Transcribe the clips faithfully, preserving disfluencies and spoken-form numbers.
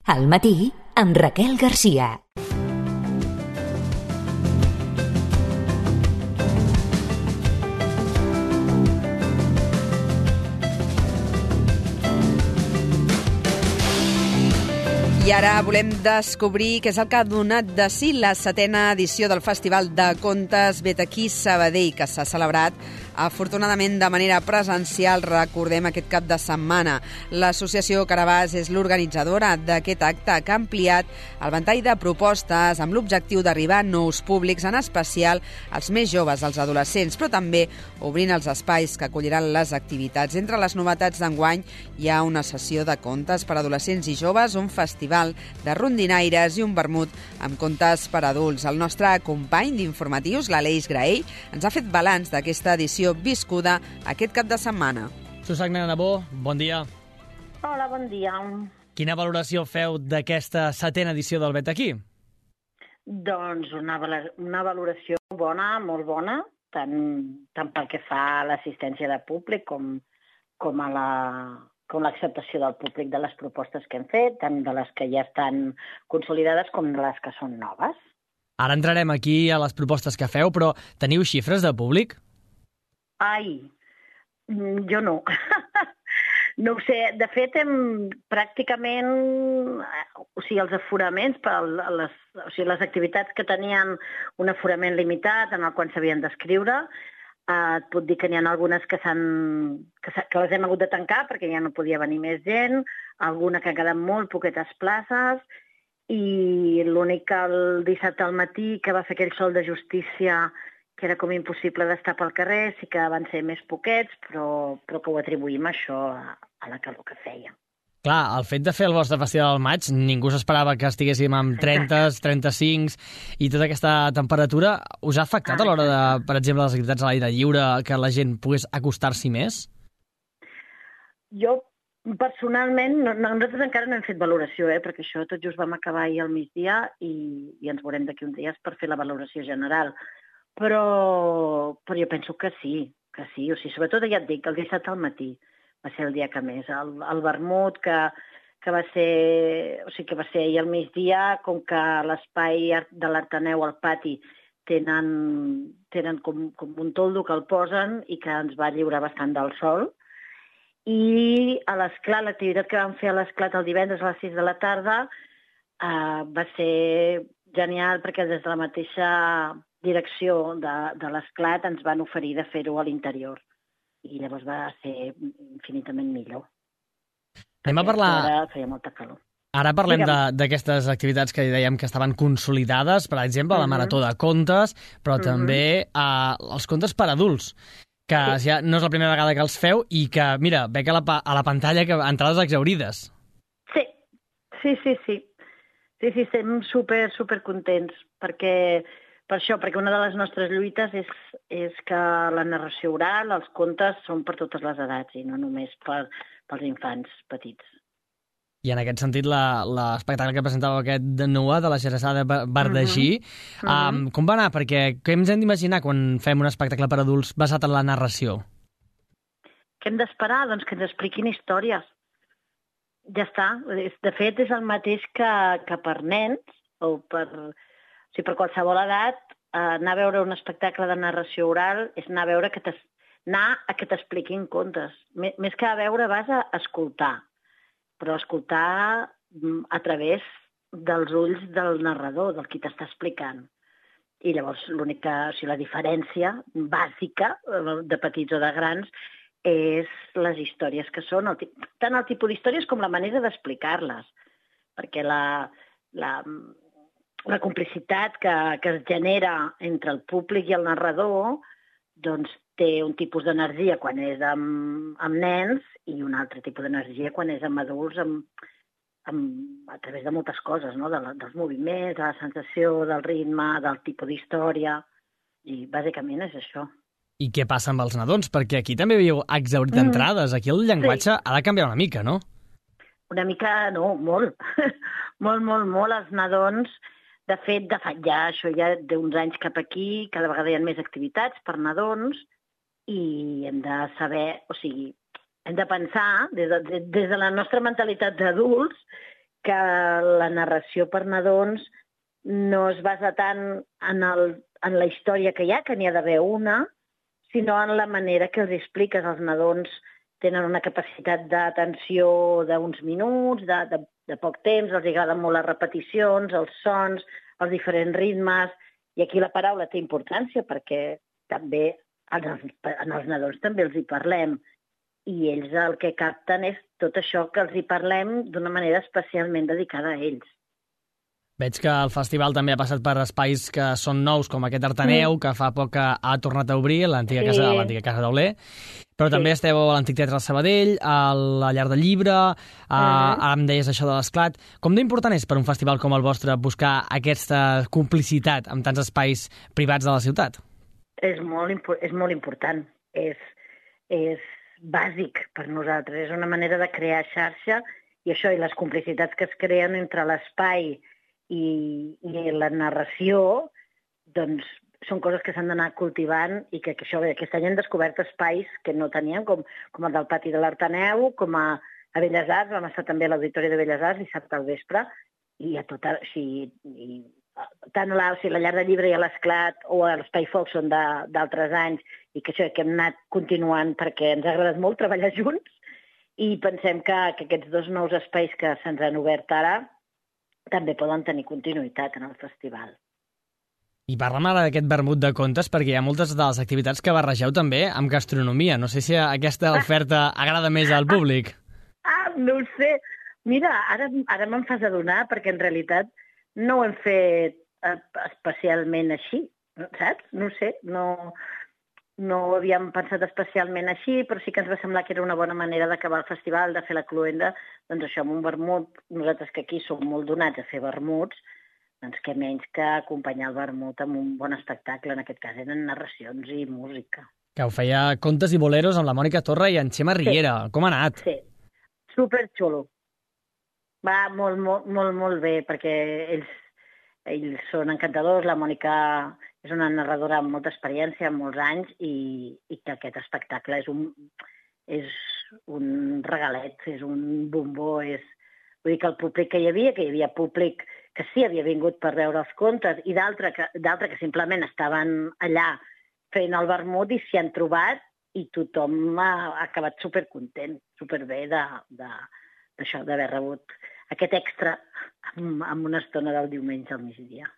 Al matí, amb Raquel Garcia. I ara volem descobrir què és el que ha donat de si la setena edició del Festival de Contes Vet aquí Sabadell, que s'ha celebrat afortunadament de manera presencial, recordem, aquest cap de setmana. L'Associació Carabàs és l'organitzadora d'aquest acte que ha ampliat el ventall de propostes amb l'objectiu d'arribar a nous públics, en especial als més joves, als adolescents, però també obrint els espais que acolliran les activitats. Entre les novetats d'enguany hi ha una sessió de contes per a adolescents i joves, un festival de rondinaires i un vermut amb contes per a adults. El nostre company d'informatius, l'Aleix Graell, ens ha fet balanç d'aquesta edició viscuda aquest cap de setmana. Susana Nabó, bon dia. Hola, bon dia. Quina valoració feu d'aquesta setena edició del Vet aquí? Doncs una, una valoració bona, molt bona, tant, tant pel que fa a l'assistència de públic com, com a la com l'acceptació del públic de les propostes que hem fet, tant de les que ja estan consolidades com de les que són noves. Ara entrarem aquí a les propostes que feu, però teniu xifres de públic? Ai, jo no. No ho sé. De fet, hem pràcticament... O sigui, els aforaments, per les, o sigui, les activitats que tenien un aforament limitat en el qual s'havien d'escriure, et puc dir que n'hi ha algunes que, que, que les hem hagut de tancar perquè ja no podia venir més gent, alguna que han quedat molt poquetes places, i l'únic que el dissabte al matí, que va fer aquell sol de justícia, que era com impossible d'estar pel carrer, sí que van ser més poquets, però, però que ho atribuïm a això, a, a la calor que feia. Clar, el fet de fer el vostre festival al maig, ningú s'esperava que estiguéssim amb trenta, trenta-cinc i tota aquesta temperatura. Us ha afectat a l'hora de, per exemple, les activitats a l'aire lliure, que la gent pogués acostar-s'hi més? Jo, personalment, no, no, nosaltres encara no hem fet valoració, eh, perquè això tot just vam acabar ahir al migdia i, i ens veurem d'aquí uns dies per fer la valoració general. Però, però jo penso que sí, que sí. O sigui, sobretot, ja et dic, el dissabte al matí va ser el dia que més. El, el vermut, que, que, va ser, o sigui, que va ser ahir al migdia, com que l'espai de l'Arteneu al pati tenen, tenen com, com un toldo que el posen i que ens va lliurar bastant del sol. I a l'esclat, l'activitat que vam fer a l'esclat el divendres a les sis de la tarda eh, va ser genial perquè des de la mateixa direcció de, de l'esclat ens van oferir de fer-ho a l'interior. I llavors va ser infinitament millor. Anem a parlar... Ara feia molta calor. Ara parlem d'aquestes activitats que dèiem que estaven consolidades, per exemple, uh-huh. la Marató de Contes, però uh-huh. també uh, els contes per adults, que sí. ja no és la primera vegada que els feu i que, mira, veig a la, a la pantalla que entrades exhaurides. Sí, sí, sí, sí. Sí, sí, estem super, super contents, perquè... Per això, perquè una de les nostres lluites és, és que la narració oral, els contes, són per totes les edats i no només per, pels infants petits. I en aquest sentit, l'espectacle que presentava aquest de Nua, de la Xeressada Bardagí, uh-huh. um, com va anar? Perquè què ens hem d'imaginar quan fem un espectacle per adults basat en la narració? Què hem d'esperar? Doncs que ens expliquin històries. Ja està. De fet, és el mateix que, que per nens o per... O sigui, per qualsevol edat, eh, anar a veure un espectacle de narració oral és anar a veure que anar a que t'expliquin contes. M més que a veure, vas a escoltar, però escoltar a través dels ulls del narrador, del qui t'està explicant. I llavors l'única, o sigui, la diferència bàsica, de petits o de grans, és les històries que són, el, tant el tipus d'històries com la manera d'explicar-les. Perquè la... la La complicitat que, que es genera entre el públic i el narrador doncs té un tipus d'energia quan és amb, amb nens i un altre tipus d'energia quan és amb adults amb, amb, a través de moltes coses, no? de la, dels moviments, de la sensació, del ritme, del tipus d'història, i bàsicament és això. I què passa amb els nadons? Perquè aquí també havíeu exhaurit mm. entrades. Aquí el llenguatge sí. ha de canviar una mica, no? Una mica, no, molt. molt, molt, molt. Els nadons... De fet, de fa ja, això ja d'uns anys cap aquí, cada vegada hi ha més activitats per nadons i hem de saber, o sigui, hem de pensar des de, des de la nostra mentalitat d'adults que la narració per nadons no es basa tant en, el, en la història que hi ha, que n'hi ha d'haver una, sinó en la manera que els expliques. Els nadons tenen una capacitat d'atenció d'uns minuts, de, de, de poc temps, els agraden molt les repeticions, els sons, els diferents ritmes, i aquí la paraula té importància perquè també en els, en els nadons també els hi parlem, i ells el que capten és tot això que els hi parlem d'una manera especialment dedicada a ells. Veig que el festival també ha passat per espais que són nous, com aquest Artaneu, mm. que fa poc que ha tornat a obrir, l'antiga sí. casa, l'antiga casa d'Auler, però sí. també esteu a l'Antic Teatre de Sabadell, a la Llar del Llibre, a, mm. ara em deies això de l'Esclat. Com d'important és per un festival com el vostre buscar aquesta complicitat amb tants espais privats de la ciutat? És molt, és molt important, és, és bàsic per nosaltres, és una manera de crear xarxa, i això, i les complicitats que es creen entre l'espai I, i la narració, doncs són coses que s'han d'anar cultivant i que, que això, bé, aquest any hem descobert espais que no teníem, com, com el del pati de l'Artaneu, com a, a Belles Arts, vam estar també a l'Auditori de Belles Arts dissabte al vespre, i a tot, o sigui, i, tant a la, o sigui, la Llar del Llibre i a l'Esclat o a l'Espai Foc són d'altres anys, i que això que hem anat continuant perquè ens ha agradat molt treballar junts, i pensem que, que aquests dos nous espais que se'ns han obert ara també poden tenir continuïtat en el festival. I parla'm ara d'aquest vermut de contes, perquè hi ha moltes de les activitats que barregeu també amb gastronomia. No sé si aquesta oferta agrada més al públic. Ah, no ho sé. Mira, ara, ara me'n fas adonar, perquè en realitat no ho hem fet especialment així, saps? No ho sé, no, no ho havíem pensat especialment així, però sí que ens va semblar que era una bona manera d'acabar el festival, de fer la cluenda, doncs això, amb un vermut, nosaltres que aquí som molt donats a fer vermuts, doncs què menys que acompanyar el vermut amb un bon espectacle, en aquest cas eren narracions i música. Que ho feia Contes i Boleros amb la Mònica Torra i en Xema Riera. Sí. Com ha anat? Sí, superxulo. Va molt, molt, molt, molt bé, perquè ells, ells són encantadors, la Mònica és una narradora amb molta experiència, amb molts anys, i, i que aquest espectacle és un, és un regalet, és un bombó, és... Vull dir que el públic que hi havia, que hi havia públic que sí havia vingut per veure els contes i d'altre que, que simplement estaven allà fent el vermut i s'hi han trobat i tothom ha, ha acabat supercontent, superbé d'això, d'haver rebut aquest extra amb, amb una estona del diumenge al migdia.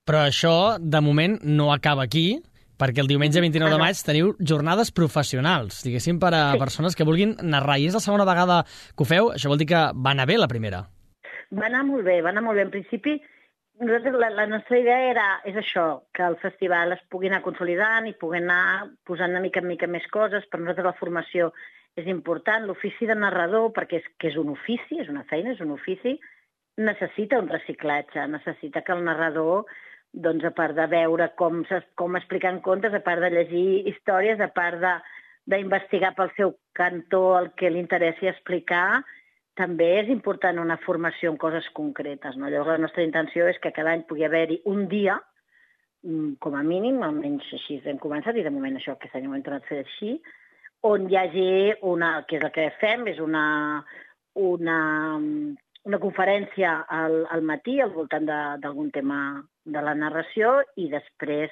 Però això, de moment, no acaba aquí, perquè el diumenge vint-i-nou de maig teniu jornades professionals, diguéssim, per a sí. persones que vulguin narrar. I és la segona vegada que ho feu? Això vol dir que va anar bé la primera? Va anar molt bé, va anar molt bé. En principi, nosaltres, la, la nostra idea era, és això, que el festival es pugui anar consolidant i pugui anar posant una mica en mica més coses. Per nosaltres la formació és important. L'ofici de narrador, perquè és, que és un ofici, és una feina, és un ofici, necessita un reciclatge, necessita que el narrador, doncs, a part de veure com, com expliquen contes, a part de llegir històries, a part d'investigar pel seu cantó el que li interessi explicar, també és important una formació en coses concretes, no? Llavors, la nostra intenció és que cada any pugui haver-hi un dia, com a mínim, almenys així hem començat, i de moment això aquest any ho hem tornat a fer així, on hi hagi una, que és el que fem, és una, una, una conferència al, al matí al voltant d'algun tema de la narració i després,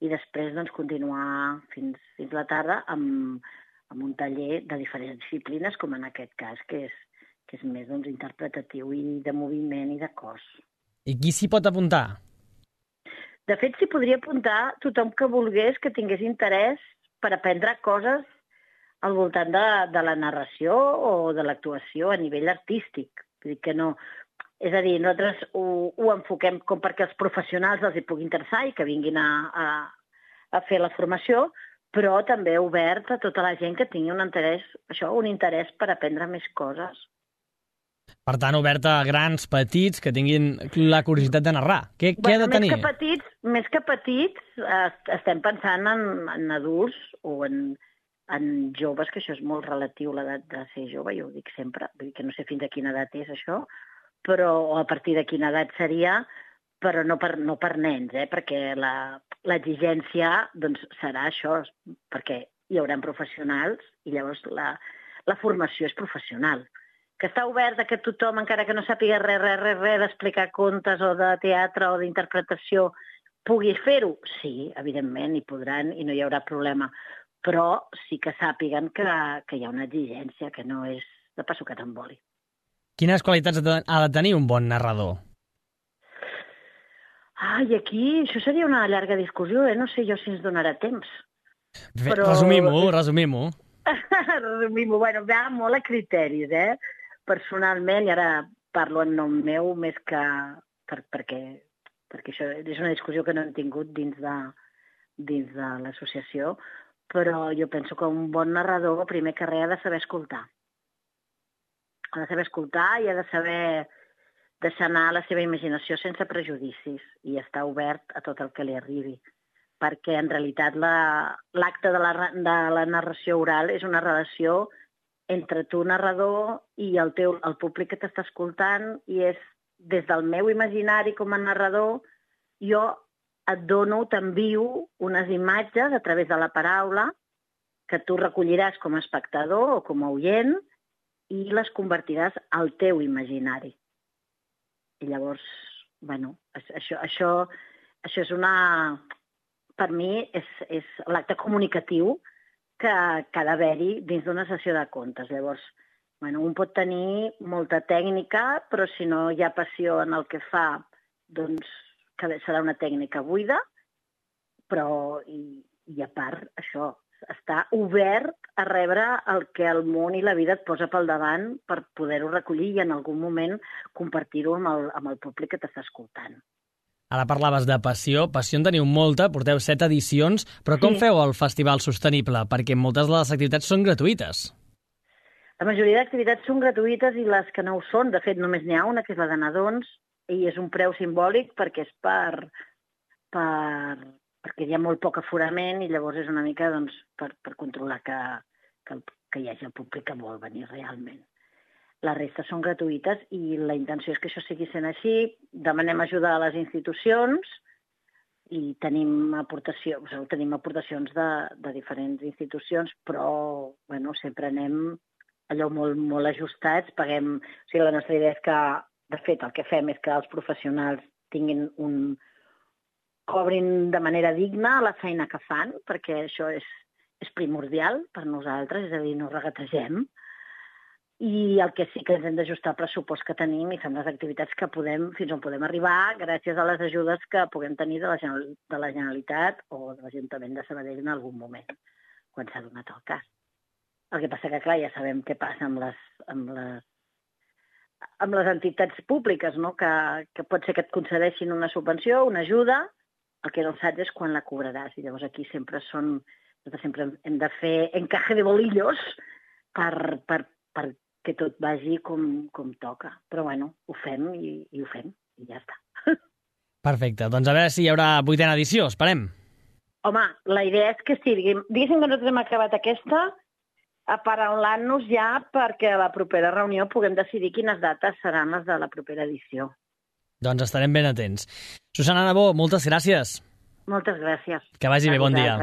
i després doncs, continuar fins, fins la tarda amb, amb un taller de diferents disciplines, com en aquest cas, que és, que és més doncs, interpretatiu i de moviment i de cos. I qui s'hi pot apuntar? De fet, s'hi podria apuntar tothom que volgués, que tingués interès per aprendre coses al voltant de, de la narració o de l'actuació a nivell artístic. Vull dir que no... És a dir, nosaltres ho, ho enfoquem com perquè els professionals els hi pugui interessar i que vinguin a, a, a fer la formació, però també obert a tota la gent que tingui un interès, això, un interès per aprendre més coses. Per tant, obert a grans, petits, que tinguin la curiositat de narrar. Què, bueno, què ha de tenir? Més que petits, més que petits estem pensant en, en adults o en, en joves, que això és molt relatiu, l'edat de ser jove, jo ho dic sempre, vull dir que no sé fins a quina edat és això, però a partir de quina edat seria, però no per, no per nens, eh? Perquè l'exigència doncs, serà això, perquè hi haurà professionals i llavors la, la formació és professional. que està obert a que tothom, encara que no sàpiga res, res, res, res d'explicar contes o de teatre o d'interpretació, pugui fer-ho? Sí, evidentment, hi podran i no hi haurà problema. Però sí que sàpiguen que, que hi ha una exigència, que no és de passo que t'emboli. Quines qualitats ha de tenir un bon narrador? Ai, aquí això seria una llarga discussió, eh? No sé jo si ens donarà temps. Però... Resumim-ho, resumim-ho. Resumim-ho. Bueno, va molt a criteris, eh? Personalment, i ara parlo en nom meu més que... Per, perquè, perquè això és una discussió que no hem tingut dins de, dins de l'associació, però jo penso que un bon narrador, primer que res, ha de saber escoltar. Ha de saber escoltar i ha de saber deixar anar la seva imaginació sense prejudicis i estar obert a tot el que li arribi. Perquè, en realitat, l'acte de, la, de la narració oral és una relació entre tu, narrador, i el, teu, el públic que t'està escoltant, i és, des del meu imaginari com a narrador, jo et dono, t'envio unes imatges a través de la paraula que tu recolliràs com a espectador o com a oient i les convertiràs al teu imaginari. I llavors, bueno, això, això, això és una... Per mi és, és l'acte comunicatiu que, que ha d'haver-hi dins d'una sessió de contes. Llavors, bueno, un pot tenir molta tècnica, però si no hi ha passió en el que fa, doncs que serà una tècnica buida, però i, i a part això, està obert a rebre el que el món i la vida et posa pel davant per poder-ho recollir i en algun moment compartir-ho amb el, amb el públic que t'està escoltant. Ara parlaves de passió. Passió en teniu molta, porteu set edicions, però com sí. Feu el Festival Sostenible? Perquè moltes de les activitats són gratuïtes. La majoria d'activitats són gratuïtes i les que no ho són, de fet, només n'hi ha una, que és la de nadons, i és un preu simbòlic perquè és per, per, perquè hi ha molt poc aforament i llavors és una mica doncs, per, per controlar que, que, que hi hagi el públic que vol venir realment. La resta són gratuïtes i la intenció és que això sigui sent així. Demanem ajuda a les institucions i tenim, aportació, o sigui, tenim aportacions de, de diferents institucions, però bueno, sempre anem allò molt, molt ajustats. Paguem, o sigui, la nostra idea és que, de fet, el que fem és que els professionals tinguin un... cobrin de manera digna la feina que fan, perquè això és, és primordial per nosaltres, és a dir, no regategem. I el que sí que ens hem d'ajustar al pressupost que tenim i fem les activitats que podem, fins on podem arribar, gràcies a les ajudes que puguem tenir de la, de la Generalitat o de l'Ajuntament de Sabadell en algun moment, quan s'ha donat el cas. El que passa que, clar, ja sabem què passa amb les, amb les, amb les entitats públiques, no? que, que pot ser que et concedeixin una subvenció, una ajuda, el que no saps és quan la cobraràs. I llavors aquí sempre són, sempre hem de fer encaje de bolillos per, per, per que tot vagi com, com toca. Però bueno, ho fem i, i ho fem, i ja està. Perfecte, doncs a veure si hi haurà vuitena edició, esperem. Home, la idea és que sí, diguem, diguéssim que nosaltres hem acabat aquesta, aparaulant-nos ja perquè a la propera reunió puguem decidir quines dates seran les de la propera edició. Doncs estarem ben atents. Susana Nabó, moltes gràcies. Moltes gràcies. Que vagi bé, bon dia.